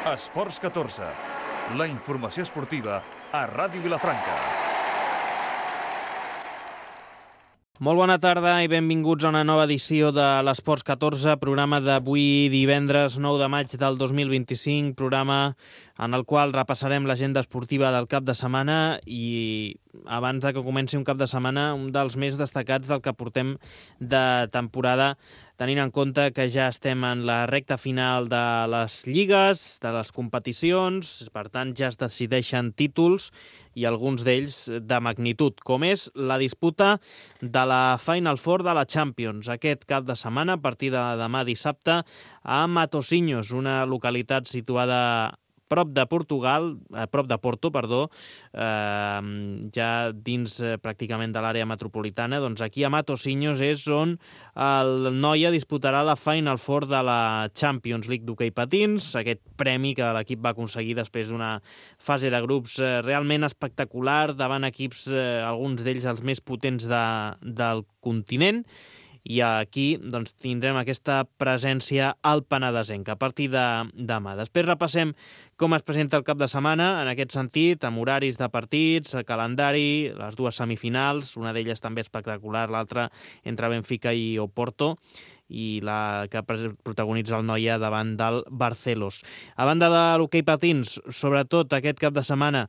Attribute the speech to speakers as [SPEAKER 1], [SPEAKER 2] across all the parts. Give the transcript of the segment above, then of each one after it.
[SPEAKER 1] Esports 14, la informació esportiva a Ràdio Vilafranca.
[SPEAKER 2] Molt bona tarda i benvinguts a una nova edició de l'Esports 14, programa d'avui divendres 9 de maig del 2025, programa en el qual repassarem l'agenda esportiva del cap de setmana i abans de que comenci un cap de setmana, un dels més destacats del que portem de temporada, tenint en compte que ja estem en la recta final de les lligues, de les competicions, per tant ja es decideixen títols i alguns d'ells de magnitud, com és la disputa de la Final Four de la Champions. Aquest cap de setmana, a partir de demà dissabte, a Matosinhos, una localitat situada prop de Porto, ja dins pràcticament de l'àrea metropolitana. Doncs aquí a Matosinhos és on el Noia disputarà la Final Four de la Champions League d'hoquei patins, aquest premi que l'equip va aconseguir després d'una fase de grups realment espectacular davant equips, alguns d'ells els més potents del continent. I aquí doncs, tindrem aquesta presència al penedesenc a partir de demà. Després repassem com es presenta el cap de setmana en aquest sentit, amb horaris de partits, calendari, les dues semifinals, una d'elles també espectacular, l'altra entre Benfica i Oporto, i la que protagonitza el Noia davant del Barcelos. A banda de l'hoquei patins, sobretot aquest cap de setmana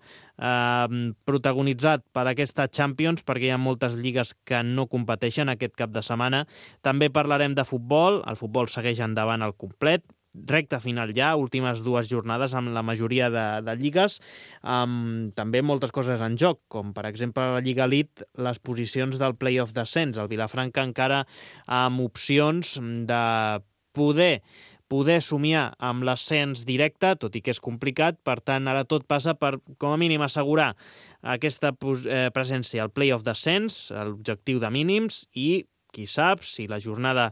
[SPEAKER 2] protagonitzat per aquesta Champions, perquè hi ha moltes lligues que no competeixen aquest cap de setmana. També parlarem de futbol, el futbol segueix endavant al complet, recta final ja, últimes dues jornades amb la majoria de lligues, amb també moltes coses en joc, com per exemple la Lliga Elite, les posicions del play-off d'ascens. El Vilafranca encara amb opcions de poder somiar amb l'ascens directe, tot i que és complicat. Per tant, ara tot passa per, com a mínim, assegurar aquesta presència al play-off d'ascens, l'objectiu de mínims, i qui sap si la jornada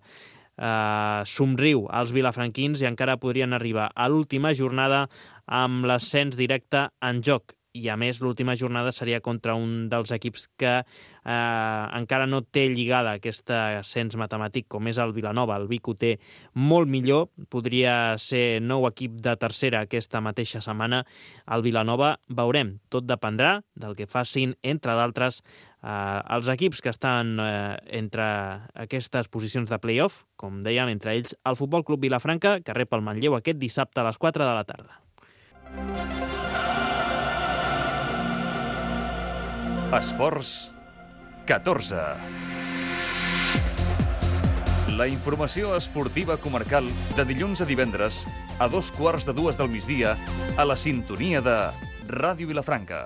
[SPEAKER 2] somriu als vilafranquins i encara podrien arribar a l'última jornada amb l'ascens directe en joc. I a més, l'última jornada seria contra un dels equips que encara no té lligada aquest ascens matemàtic, com és el Vilanova. El Vic ho té molt millor, podria ser nou equip de tercera aquesta mateixa setmana. El Vilanova veurem, tot dependrà del que facin, entre d'altres, els equips que estan entre aquestes posicions de play-off, com dèiem, entre ells el Futbol Club Vilafranca, que rep el Manlleu aquest dissabte a les 4 de la tarda.
[SPEAKER 1] Esports 14. La informació esportiva comarcal de dilluns a divendres a 2:15 del migdia a la sintonia de Ràdio Vilafranca.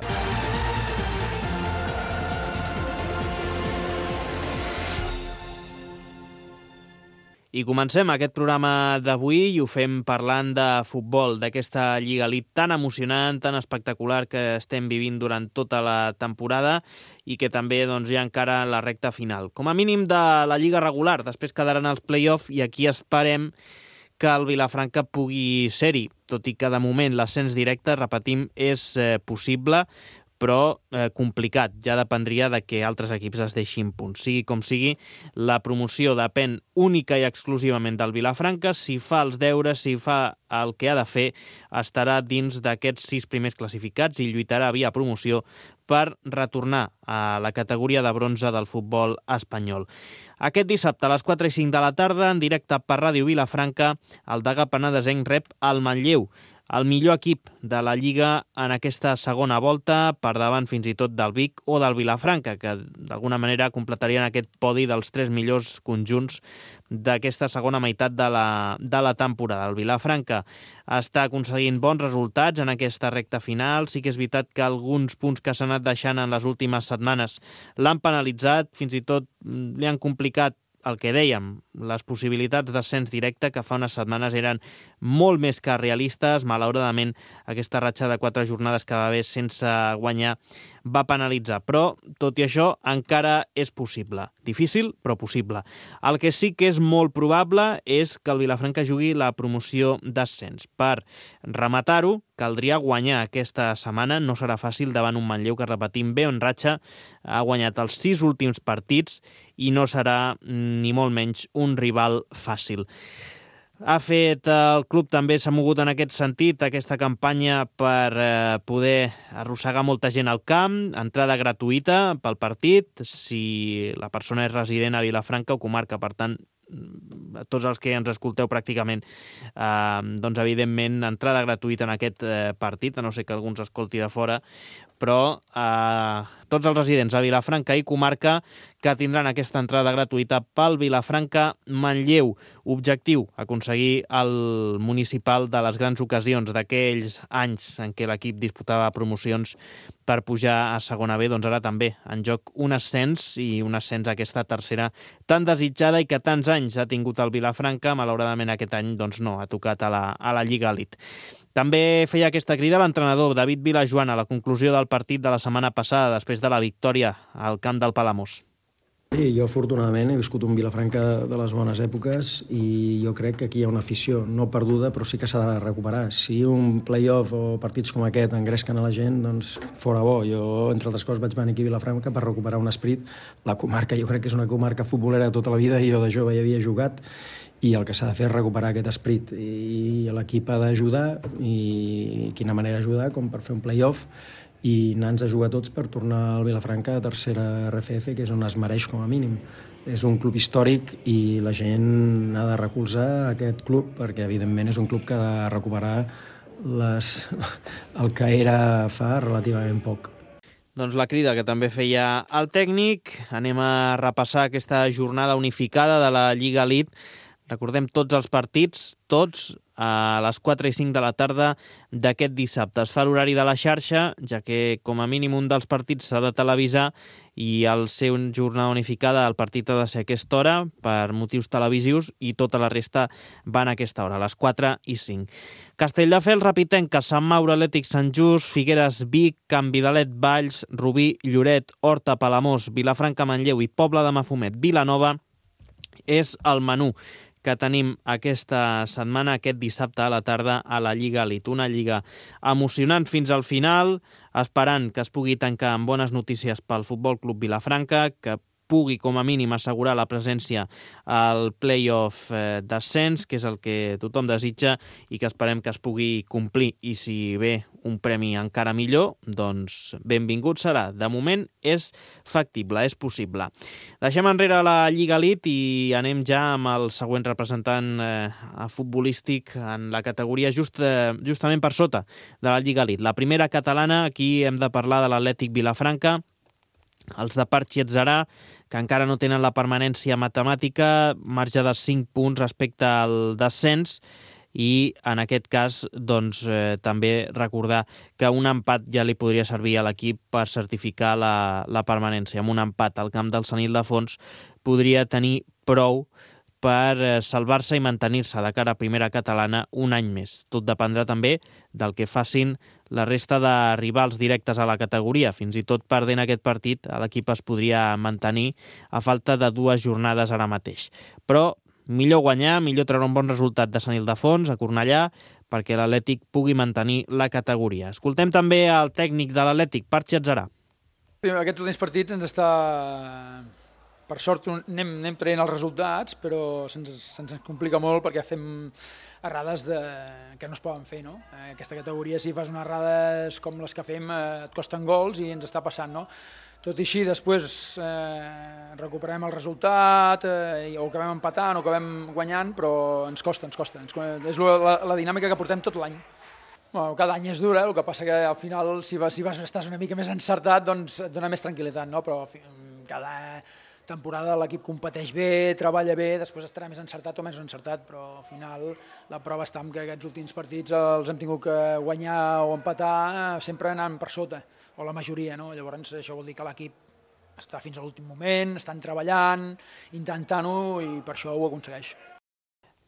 [SPEAKER 2] I comencem aquest programa d'avui i ho fem parlant de futbol, d'aquesta Lliga Elite tan emocionant, tan espectacular que estem vivint durant tota la temporada i que també doncs, hi ha encara la recta final. Com a mínim de la Lliga regular, després quedaran els play-off i aquí esperem que el Vilafranca pugui ser-hi, tot i que de moment l'ascens directe, repetim, és possible, però complicat. Ja dependria de que altres equips es deixin punts. Sigui com sigui, la promoció depèn única i exclusivament del Vilafranca. Si fa els deures, si fa el que ha de fer, estarà dins d'aquests 6 primers classificats i lluitarà via promoció per retornar a la categoria de bronze del futbol espanyol. Aquest dissabte a les 4:05 de la tarda, en directe per Ràdio Vilafranca, el Degà Penedesenc rep el Manlleu, el millor equip de la Lliga en aquesta segona volta, per davant fins i tot del Vic o del Vilafranca, que d'alguna manera completarien aquest podi dels 3 millors conjunts d'aquesta segona meitat de la temporada. El Vilafranca està aconseguint bons resultats en aquesta recta final. Sí que és veritat que alguns punts que s'han anat deixant en les últimes setmanes l'han penalitzat, fins i tot li han complicat el que dèiem, les possibilitats d'ascens directe, que fa unes setmanes eren molt més que realistes. Malauradament, aquesta ratxa de 4 jornades que va haver sense guanyar va penalitzar. Però, tot i això, encara és possible. Difícil, però possible. El que sí que és molt probable és que el Vilafranca jugui la promoció d'ascens. Per rematar-ho, caldria guanyar aquesta setmana. No serà fàcil davant un Manlleu que, repetim, bé en ratxa, ha guanyat els 6 últims partits i no serà ni molt menys un rival fàcil. ha fet el club, també s'ha mogut en aquest sentit, aquesta campanya per poder arrossegar molta gent al camp, entrada gratuïta pel partit, si la persona és resident a Vilafranca o comarca, per tant, tots els que ens escolteu pràcticament, doncs evidentment entrada gratuïta en aquest partit, a no ser que algú ens escolti de fora, però tots els residents a Vilafranca i comarca que tindran aquesta entrada gratuïta pel Vilafranca-Manlleu. Objectiu, aconseguir el municipal de les grans ocasions d'aquells anys en què l'equip disputava promocions per pujar a segona B, doncs ara també en joc un ascens, i un ascens a aquesta tercera tan desitjada i que tants anys ha tingut el Vilafranca. Malauradament aquest any doncs no, ha tocat a la Lliga Elite. També feia aquesta crida l'entrenador David Vilajoan a la conclusió del partit de la setmana passada, després de la victòria al camp del Palamós.
[SPEAKER 3] Sí, jo afortunadament he viscut un Vilafranca de les bones èpoques i jo crec que aquí hi ha una afició no perduda, però sí que s'ha de recuperar. Si un play-off o partits com aquest engresquen a la gent, doncs fora bo. Jo, entre altres coses, vaig venir aquí a Vilafranca per recuperar un esperit. La comarca jo crec que és una comarca futbolera tota la vida i jo de jove hi havia jugat, i el que s'ha de fer és recuperar aquest esperit, i l'equip ha d'ajudar, i quina manera d'ajudar, com per fer un play-off i anar-nos a jugar tots per tornar al Vilafranca a tercera RFF, que és on es mereix com a mínim. És un club històric i la gent ha de recolzar aquest club, perquè evidentment és un club que ha de recuperar el que era fa relativament poc.
[SPEAKER 2] Doncs la crida que també feia el tècnic. Anem a repassar aquesta jornada unificada de la Lliga Elite. Recordem tots els partits, tots a les 4 i 5 de la tarda d'aquest dissabte. Es fa l'horari de la xarxa, ja que com a mínim un dels partits s'ha de televisar, i al ser una jornada unificada el partit ha de ser a aquesta hora per motius televisius, i tota la resta van a aquesta hora, a les 4 i 5. Castelldefels, Rapitenca, Sant Mauro, Atlètic Sant Just, Figueres, Vic, Can Vidalet, Valls, Rubí, Lloret, Horta, Palamós, Vilafranca, Manlleu i Pobla de Mafumet, Vilanova és el menú que tenim aquesta setmana, aquest dissabte a la tarda a la Lliga Elite. Una lliga emocionant fins al final, esperant que es pugui tancar amb bones notícies pel Futbol Club Vilafranca, que pugui com a mínim assegurar la presència al play-off d'ascens, que és el que tothom desitja i que esperem que es pugui complir. I si ve un premi encara millor, doncs benvingut serà. De moment és factible, és possible. Deixem enrere la Lliga Elite i anem ja amb el següent representant futbolístic en la categoria justament per sota de la Lliga Elite. La primera catalana, aquí hem de parlar de l'Atlètic Vilafranca, els de Parc Lletzerà, que encara no tenen la permanència matemàtica, marge de 5 punts respecte al descens, i en aquest cas doncs, també recordar que un empat ja li podria servir a l'equip per certificar la permanència. Amb un empat al camp del Sant Ildefons podria tenir prou per salvar-se i mantenir-se de cara a primera catalana un any més. Tot dependrà també del que facin la resta de rivals directes a la categoria. Fins i tot perdent aquest partit, l'equip es podria mantenir a falta de 2 jornades ara mateix. Però millor guanyar, millor treure un bon resultat de Sant Ildefons, a Cornellà, perquè l'Atlètic pugui mantenir la categoria. Escoltem també el tècnic de l'Atlètic, Parc Lletzerà.
[SPEAKER 4] Aquests últims partits ens està... Per sort anem traient els resultats, però se'ns complica molt perquè fem errades que no es poden fer, no? Aquesta categoria, si fas unes errades com les que fem, et costen gols i ens està passant, no? Tot i així, després recuperem el resultat, o acabem empatant o acabem guanyant, però ens costa. És la dinàmica que portem tot l'any. Bueno, cada any és dura, el que passa que al final, si estàs una mica més encertat, doncs et dona més tranquil·litat, no? Però cada temporada l'equip competeix bé, treballa bé, després estarà més encertat o menys encertat, però al final la prova està en que aquests últims partits els hem tingut que guanyar o empatar sempre anant per sota, o la majoria, no? Llavors això vol dir que l'equip està fins a l'últim moment, estan treballant, intentant-ho, i per això ho aconsegueix.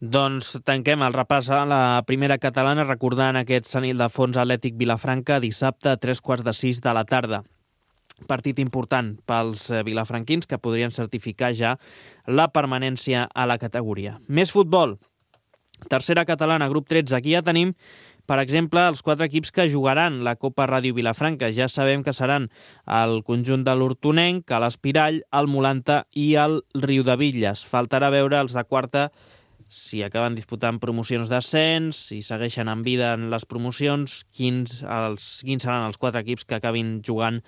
[SPEAKER 2] Doncs tanquem el repàs a la primera catalana recordant aquest Sant Ildefons Atlètic Vilafranca dissabte a 3:15 de la tarda. Partit important pels vilafranquins que podrien certificar ja la permanència a la categoria. Més futbol. Tercera catalana, grup 13. Aquí ja tenim, per exemple, els 4 equips que jugaran la Copa Ràdio Vilafranca. Ja sabem que seran el conjunt de l'Hortonenc, l'Espirall, el Molanta i el Riudebitlles. Faltarà veure els de quarta si acaben disputant promocions d'ascens, si segueixen en vida en les promocions, quins seran els 4 equips que acabin jugant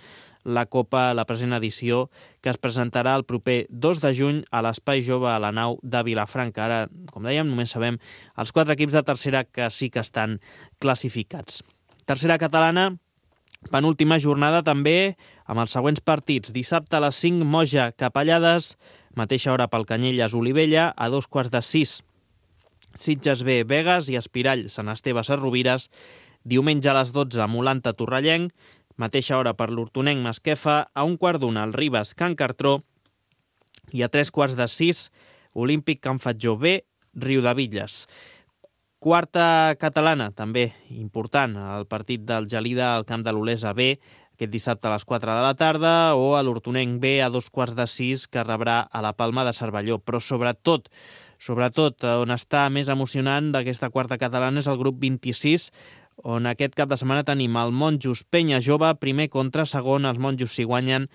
[SPEAKER 2] la Copa, la present edició, que es presentarà el proper 2 de juny a l'Espai Jove a la nau de Vilafranca. Ara, com dèiem, només sabem els 4 equips de tercera que sí que estan classificats. Tercera catalana, penúltima jornada també, amb els següents partits. Dissabte a les 5, Moja, Capellades, mateixa hora pel Canyelles, Olivella, a 2:45, Sitges B, Begues i Espirall, Sant Esteve, Sarrovires. Diumenge a les 12, Molanta, Torrellenc, mateixa hora per l'Hortonenc, Masquefa, a 1:15, el Ribes, Can Cartró, i a 3:45, Olímpic, Can Fatjó B, Riudebitlles. Quarta catalana, també important, el partit del Gelida al camp de l'Olesa B, aquest dissabte a les 4 de la tarda, o a l'Hortonenc B a 2:15, que rebrà a la Palma de Cervelló. Però sobretot, on està més emocionant d'aquesta quarta catalana és el grup 26, on aquest cap de setmana tenim el Monjos Penya Jove, primer contra segon. Els Monjos, si guanyen,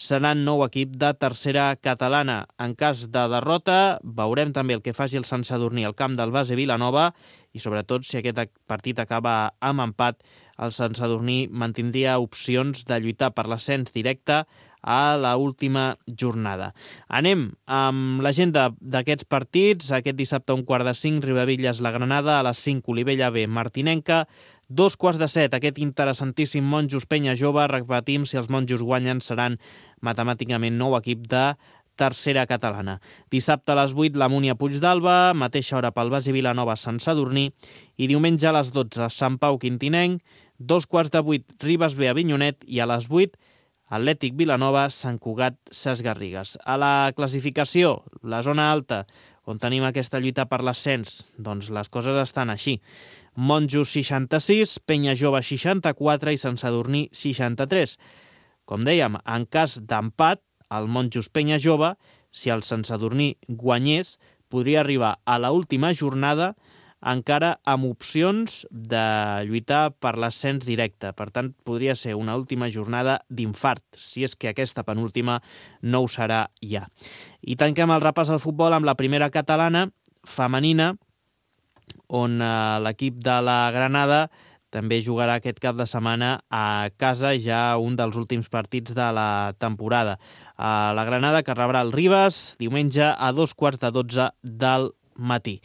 [SPEAKER 2] seran nou equip de tercera catalana. En cas de derrota, veurem també el que faci el Sant Sadurní al camp del Base Vilanova, i sobretot, si aquest partit acaba amb empat, el Sant Sadurní mantindria opcions de lluitar per l'ascens directe a la última jornada. Anem amb l'agenda d'aquests partits. Aquest dissabte a 1:15, Riudebitlles, la Granada, a les 5, Olivella B, Martinenca, 2:15, aquest interessantíssim Monjos Penya Jove. Repetim, si els Monjos guanyen, seran matemàticament nou equip de tercera catalana. Dissabte a les 8, la Múnia Puigdàlber, mateixa hora pel Basi Vilanova, Sant Sadurní, i diumenge a les 12, Sant Pau Quintinenc, 2:15, Ribes B, Avinyonet, i a les 8, Atlètic Vilanova, Sant Cugat, Ses Garrigues. A la classificació, la zona alta, on tenim aquesta lluita per l'ascens, doncs les coses estan així. Monjos 66, Penya Jove 64 i Sant Sadurní 63. Com dèiem, en cas d'empat, el Monjos Penya Jove, si el Sant Sadurní guanyés, podria arribar a l'última jornada encara amb opcions de lluitar per l'ascens directe. Per tant, podria ser una última jornada d'infart, si és que aquesta penúltima no ho serà ja. I tanquem el repàs al futbol amb la primera catalana femenina, on l'equip de la Granada també jugarà aquest cap de setmana a casa, ja un dels últims partits de la temporada. La Granada, que rebrà el Ribes diumenge a 2:15 del matí.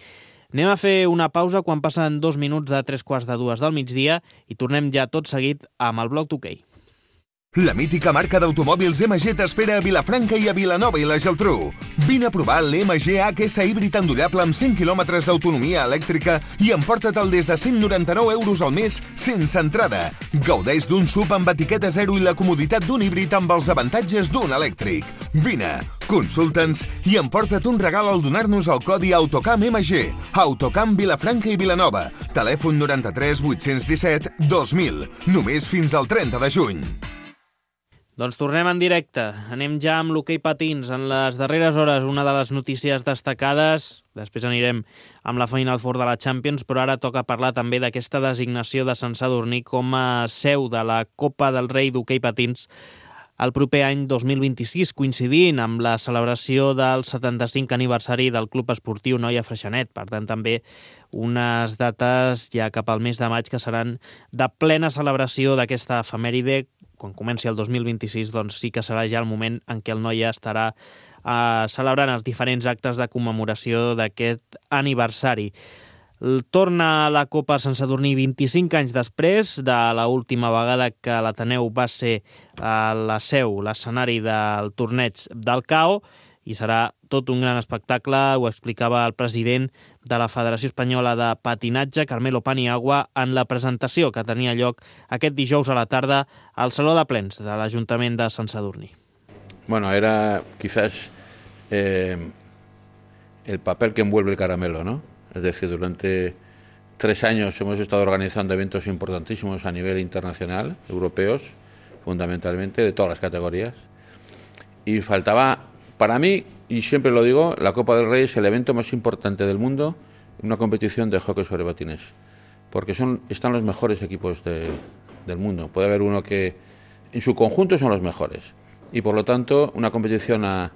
[SPEAKER 2] Anem a fer una pausa quan passen 2 minuts de 3:15 del migdia i tornem ja tot seguit amb el bloc d'hoquei.
[SPEAKER 5] La mítica marca d'automòbils MG t'espera a Vilafranca i a Vilanova i la Geltrú. Vine a provar l'MG HS híbrid endollable amb 100 km d'autonomia elèctrica i emporta-te'l des de 199 euros al mes sense entrada. Gaudeix d'un SUV amb etiqueta 0 i la comoditat d'un híbrid amb els avantatges d'un elèctric. Vine, consulta'ns i emporta't un regal al donar-nos el codi AUTOCAM MG. AUTOCAM Vilafranca i Vilanova. Telèfon 93 817 2000. Només fins al 30 de juny.
[SPEAKER 2] Doncs tornem en directe. Anem ja amb l'hoquei patins. En les darreres hores, una de les notícies destacades, després anirem amb la Final Four de la Champions, però ara toca parlar també d'aquesta designació de Sant Sadurní com a seu de la Copa del Rei d'hoquei patins el proper any 2026, coincidint amb la celebració del 75 aniversari del Club Esportiu Noia Freixenet. Per tant, també unes dates ja cap al mes de maig que seran de plena celebració d'aquesta efemèride. Quan comenci el 2026, doncs sí que serà ja el moment en què el Noia estarà celebrant els diferents actes de commemoració d'aquest aniversari. Torna la Copa Sant Sadurní 25 anys després de l'última vegada que l'Ateneu va ser la seu, l'escenari del torneig del CAO, i serà tot un gran espectacle, ho explicava el president de la Federació Espanyola de Patinatge, Carmelo Paniagua, en la presentació que tenia lloc aquest dijous a la tarda al Saló de Plens de l'Ajuntament de Sant Sadurní.
[SPEAKER 6] Bueno, era quizás el papel que envuelve el caramelo, ¿no? Es decir, durante 3 años hemos estado organizando eventos importantísimos a nivel internacional, europeos, fundamentalmente, de todas las categorías. Y faltaba, para mí, y siempre lo digo, la Copa del Rey es el evento más importante del mundo en una competición de hockey sobre patines. Porque están los mejores equipos del mundo. Puede haber uno que en su conjunto son los mejores. Y por lo tanto, una competición a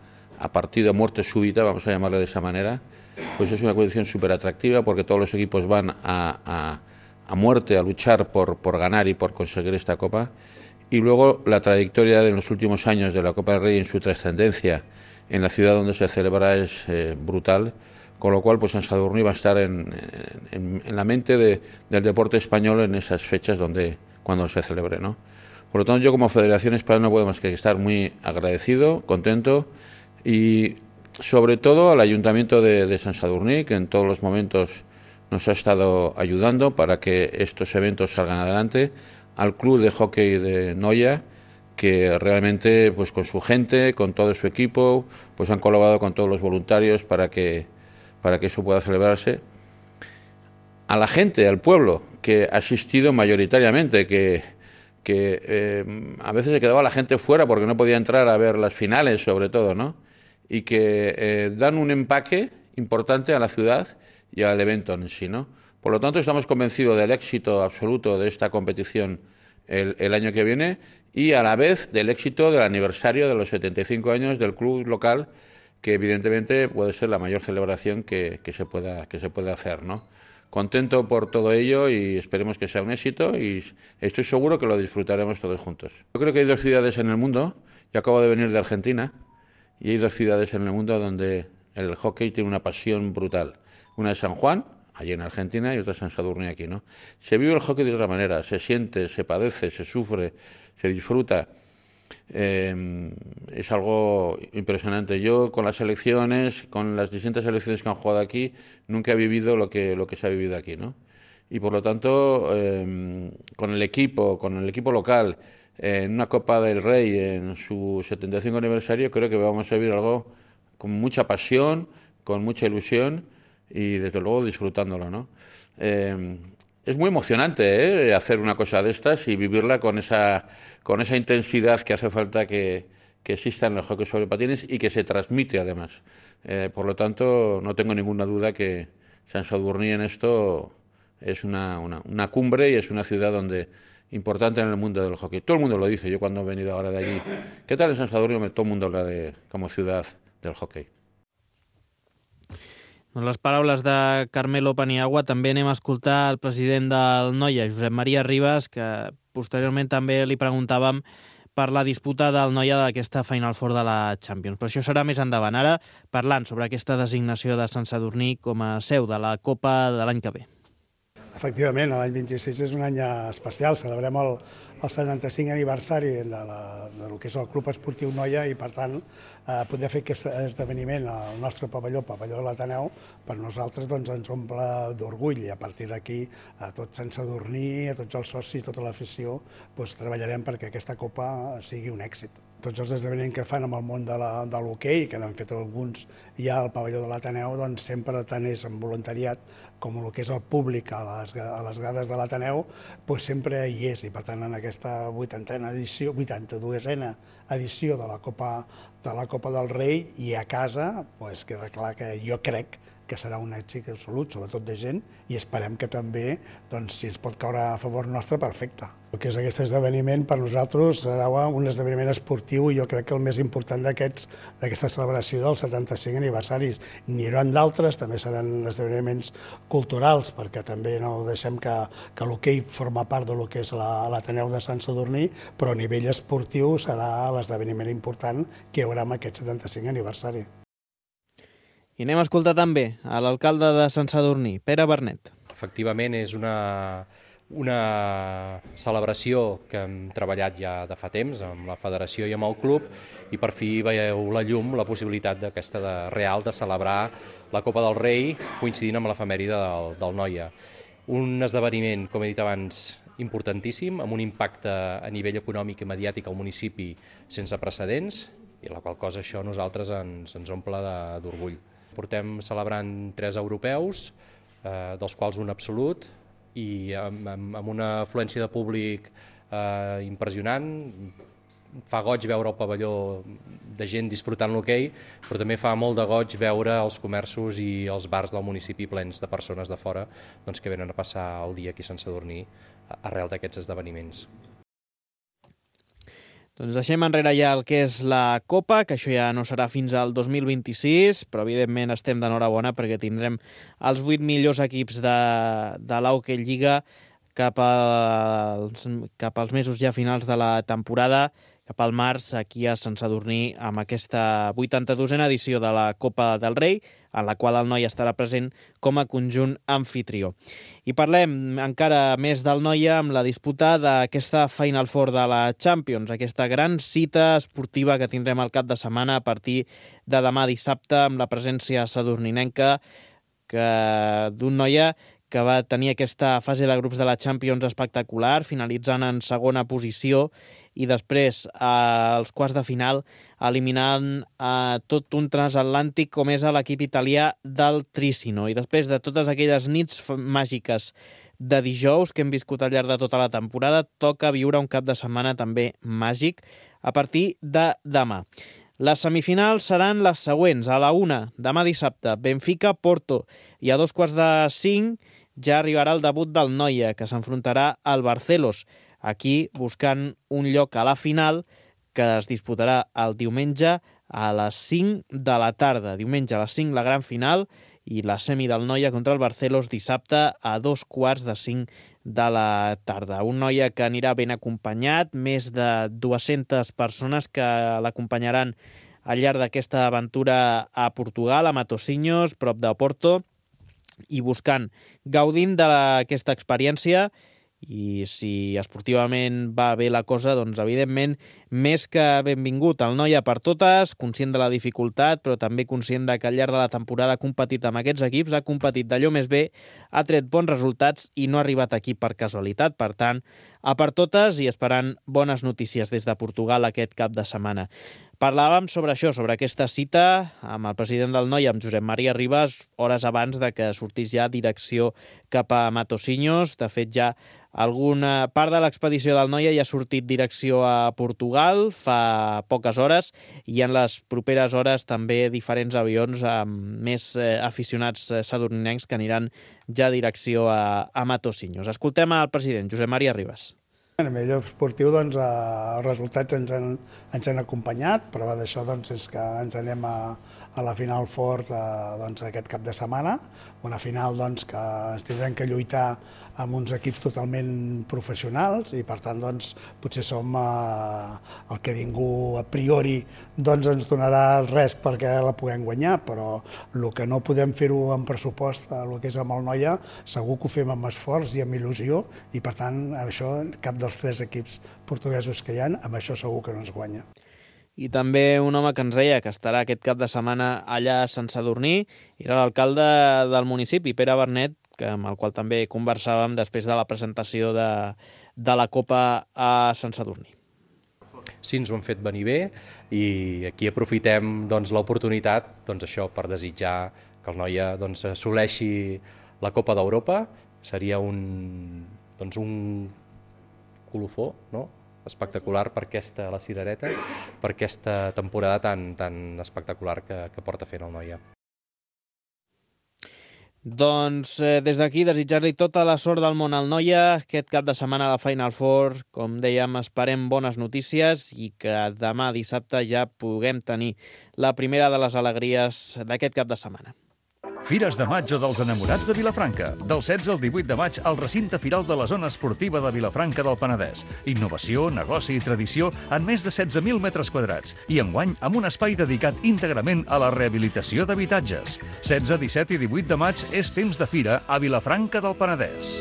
[SPEAKER 6] partido, muerte súbita, vamos a llamarle de esa manera, pues es una competición súper atractiva porque todos los equipos van a muerte, a luchar por ganar y por conseguir esta Copa. Y luego la trayectoria de los últimos años de la Copa del Rey en su trascendencia en la ciudad donde se celebra es brutal, con lo cual pues Sant Sadurní va a estar en la mente del deporte español en esas fechas cuando se celebre, ¿no? Por lo tanto, yo como Federación Española no puedo más que estar muy agradecido, contento y sobre todo al Ayuntamiento de Sant Sadurní, que en todos los momentos nos ha estado ayudando para que estos eventos salgan adelante, al Club de Hockey de Noia, que realmente pues con su gente, con todo su equipo, pues han colaborado con todos los voluntarios para que eso pueda celebrarse. A la gente, al pueblo, que ha asistido mayoritariamente, que a veces se quedaba la gente fuera porque no podía entrar a ver las finales, sobre todo, ¿no? Y que dan un empaque importante a la ciudad y al evento en sí, ¿no? Por lo tanto, estamos convencidos del éxito absoluto de esta competición el año que viene y a la vez del éxito del aniversario de los 75 años del club local, que evidentemente puede ser la mayor celebración que se pueda hacer, ¿no? Contento por todo ello y esperemos que sea un éxito y estoy seguro que lo disfrutaremos todos juntos. Yo creo que hay dos ciudades en el mundo, yo acabo de venir de Argentina, y hay dos ciudades en el mundo donde el hockey tiene una pasión brutal. Una es San Juan, allí en Argentina, y otra es Sant Sadurní aquí, ¿no? Se vive el hockey de otra manera, se siente, se padece, se sufre, se disfruta. Es algo impresionante. Yo con las selecciones, con las distintas selecciones que han jugado aquí, nunca he vivido lo que se ha vivido aquí, ¿no? Y por lo tanto, con el equipo local, en una Copa del Rey, en su 75 aniversario, creo que vamos a vivir algo con mucha pasión, con mucha ilusión y desde luego disfrutándolo, ¿no? Es muy emocionante hacer una cosa de estas y vivirla con esa intensidad que hace falta que exista en el hockey sobre patines y que se transmite además. Por lo tanto, no tengo ninguna duda que Sant Sadurní en esto es una cumbre y es una ciudad importante en el mundo del hockey. Todo el mundo lo dice. Yo cuando he venido ahora de allí, ¿qué tal en Sant Sadurní? Todo el mundo habla como ciudad del hockey.
[SPEAKER 2] Doncs les paraules de Carmelo Paniagua. També anem a escoltar el president del Noia, Josep Maria Ribas, que posteriorment també li preguntàvem per la disputa del Noia d'aquesta Final Four de la Champions. Però això serà més endavant. Ara, parlant sobre aquesta designació de Sant Sadurní com a seu de la Copa de l'any que ve.
[SPEAKER 7] Efectivament, l'any 26 és un any especial. Celebrem el 75 aniversari del que és el Club Esportiu Noia i, per tant, poder fer aquest esdeveniment al nostre pavelló, el pavelló de l'Ateneu, per nosaltres ens omple d'orgull i a partir d'aquí a tot Sant Sadurní, a tots els socis, tota l'afició, treballarem perquè aquesta Copa sigui un èxit. Tots els esdeveniments que fan amb el món de l'hoquei, que n'han fet alguns ja al pavelló de l'Ateneu, doncs sempre tant és amb voluntariat com el que és el públic a les grades de l'Ateneu, sempre hi és. I per tant, en aquesta 82a edició de la Copa del Rei i a casa, queda clar que jo crec que serà un èxit absolut, sobretot de gent, i esperem que també, si ens pot caure a favor nostre, perfecte. El que és aquest esdeveniment, per nosaltres, serà un esdeveniment esportiu i jo crec que el més important d'aquesta celebració dels 75 aniversaris. N'hi haurà d'altres, també seran esdeveniments culturals, perquè també no deixem que l'hoquei forma part del que és l'Ateneu de Sant Sadurní, però a nivell esportiu serà l'esdeveniment important que hi haurà amb aquest 75 aniversari.
[SPEAKER 2] I anem a escoltar també a l'alcalde de Sant Sadurní, Pere Bernet.
[SPEAKER 8] Efectivament, és una celebració que hem treballat ja de fa temps amb la federació i amb el club i per fi veieu la llum, la possibilitat d'aquesta real de celebrar la Copa del Rei coincidint amb l'efemèride del Noia. Un esdeveniment, com he dit abans, importantíssim, amb un impacte a nivell econòmic i mediàtic al municipi sense precedents i la qual cosa això a nosaltres ens omple d'orgull. Portem celebrant 3 europeus, dels quals un absolut, i amb una afluència de públic impressionant. Fa goig veure el pavelló de gent disfrutant l'hoquei, però també fa molt de goig veure els comerços i els bars del municipi plens de persones de fora que venen a passar el dia aquí a Sant Sadurní arrel d'aquests esdeveniments.
[SPEAKER 2] Doncs deixem enrere ja el que és la Copa, que això ja no serà fins al 2026, però evidentment estem d'enhorabona perquè tindrem els 8 millors equips de l'Hockey Lliga cap als mesos ja finals de la temporada, cap al març, aquí a Sant Sadurní, amb aquesta 82a edició de la Copa del Rei, en la qual el Noia estarà present com a conjunt anfitrió. I parlem encara més del Noia amb la disputa d'aquesta Final Four de la Champions, aquesta gran cita esportiva que tindrem al cap de setmana a partir de demà dissabte, amb la presència sadurninenca d'un Noia que va tenir aquesta fase de grups de la Champions espectacular, finalitzant en segona posició i després als quarts de final eliminant tot un transatlàntic com és l'equip italià del Trissino. I després de totes aquelles nits màgiques de dijous que hem viscut al llarg de tota la temporada, toca viure un cap de setmana també màgic a partir de demà. Les semifinals seran les següents. A la 1, demà dissabte, Benfica-Porto, i a 4:45 ja arribarà el debut del Noia, que s'enfrontarà al Barcelos, aquí buscant un lloc a la final que es disputarà el diumenge a les 5 de la tarda. Diumenge a les 5 la gran final i la semi del Noia contra el Barcelos dissabte a 4:45 de la tarda. Un Noia que anirà ben acompanyat, més de 200 persones que l'acompanyaran al llarg d'aquesta aventura a Portugal, a Matosinhos, prop de Porto, i gaudint d'aquesta experiència. I si esportivament va bé la cosa, doncs evidentment més que benvingut el Noia per totes, conscient de la dificultat, però també conscient que al llarg de la temporada ha competit amb aquests equips, ha competit d'allò més bé, ha tret bons resultats i no ha arribat aquí per casualitat. Per tant, a per totes i esperant bones notícies des de Portugal aquest cap de setmana. Parlàvem sobre això, sobre aquesta cita amb el president del Noia, amb Josep Maria Ribas, hores abans de que sortís ja direcció cap a Matosinhos. De fet, ja alguna part de l'expedició del Noia ja ha sortit direcció a Portugal fa poques hores i en les properes hores també diferents avions amb més aficionats sadurninencs que aniran ja direcció a Matosinhos. Escoltem al president, Josep Maria Ribas.
[SPEAKER 7] A nivell esportiu, doncs, els resultats ens han acompanyat. Prova d'això és que ens anem a la Final Four aquest cap de setmana, una final que ens tindrem que lluitar amb uns equips totalment professionals i, per tant, potser som el que ningú a priori ens donarà res perquè la puguem guanyar, però el que no podem fer-ho amb pressupost, el que és amb el Noia, segur que ho fem amb esforç i amb il·lusió i, per tant, això cap dels 3 equips portuguesos que hi ha, amb això segur que no ens guanya.
[SPEAKER 2] I també un home que ens deia que estarà aquest cap de setmana allà a Sant Sadurní era l'alcalde del municipi, Pere Bernet, amb el qual també conversàvem després de la presentació de la Copa a Sant Sadurní.
[SPEAKER 8] Sí, ens ho han fet venir bé i aquí aprofitem l'oportunitat això per desitjar que el Noia assoleixi la Copa d'Europa. Seria un colofó, no? Espectacular per la cirereta, per aquesta temporada tan espectacular que porta fent el Noia.
[SPEAKER 2] Doncs des d'aquí desitjar-li tota la sort del món al Noia aquest cap de setmana a la Final Four. Com dèiem, esperem bones notícies i que demà dissabte ja puguem tenir la primera de les alegries d'aquest cap de setmana.
[SPEAKER 1] Fires de maig o dels enamorats de Vilafranca. Del 16 al 18 de maig al recinte firal de la zona esportiva de Vilafranca del Penedès. Innovació, negoci i tradició en més de 16.000 metres quadrats i enguany amb un espai dedicat íntegrament a la rehabilitació d'habitatges. 16, 17 i 18 de maig és temps de fira a Vilafranca del Penedès.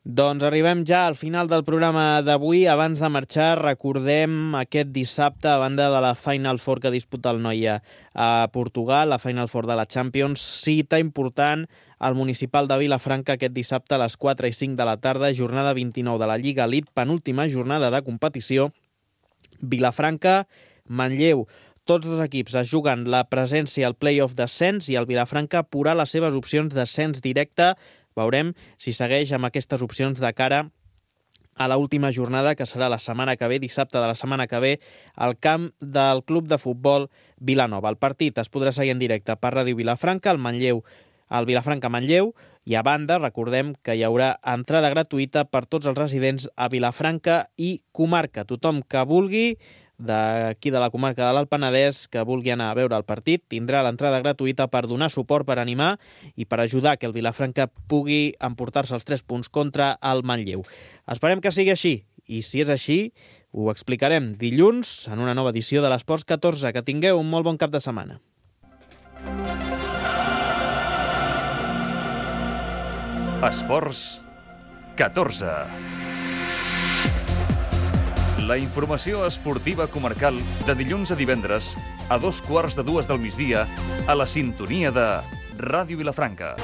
[SPEAKER 2] Doncs arribem ja al final del programa d'avui. Abans de marxar, recordem aquest dissabte, a banda de la Final Four que disputa el Noia a Portugal, la Final Four de la Champions, cita important al Municipal de Vilafranca aquest dissabte a les 4 i 5 de la tarda, jornada 29 de la Lliga Elite, penúltima jornada de competició. Vilafranca, Manlleu. Tots dos equips es juguen la presència al play-off d'ascens i el Vilafranca apurà les seves opcions d'ascens directe. Veurem si segueix amb aquestes opcions de cara a l'última jornada, que serà la setmana que ve, dissabte de la setmana que ve, al camp del Club de Futbol Vilanova. El partit es podrà seguir en directe per Ràdio Vilafranca. El Manlleu al Vilafranca-Manlleu, i a banda, recordem que hi haurà entrada gratuïta per tots els residents a Vilafranca i comarca. Tothom que vulgui, d'aquí de la comarca de l'Alt Penedès, que vulgui anar a veure el partit, tindrà l'entrada gratuïta per donar suport, per animar i per ajudar que el Vilafranca pugui emportar-se els 3 punts contra el Manlleu. Esperem que sigui així, i si és així, ho explicarem dilluns en una nova edició de l'Esports 14. Que tingueu un molt bon cap de setmana.
[SPEAKER 1] Esports 14. La informació esportiva comarcal de dilluns a divendres a 2:15 del migdia a la sintonia de Ràdio Vilafranca.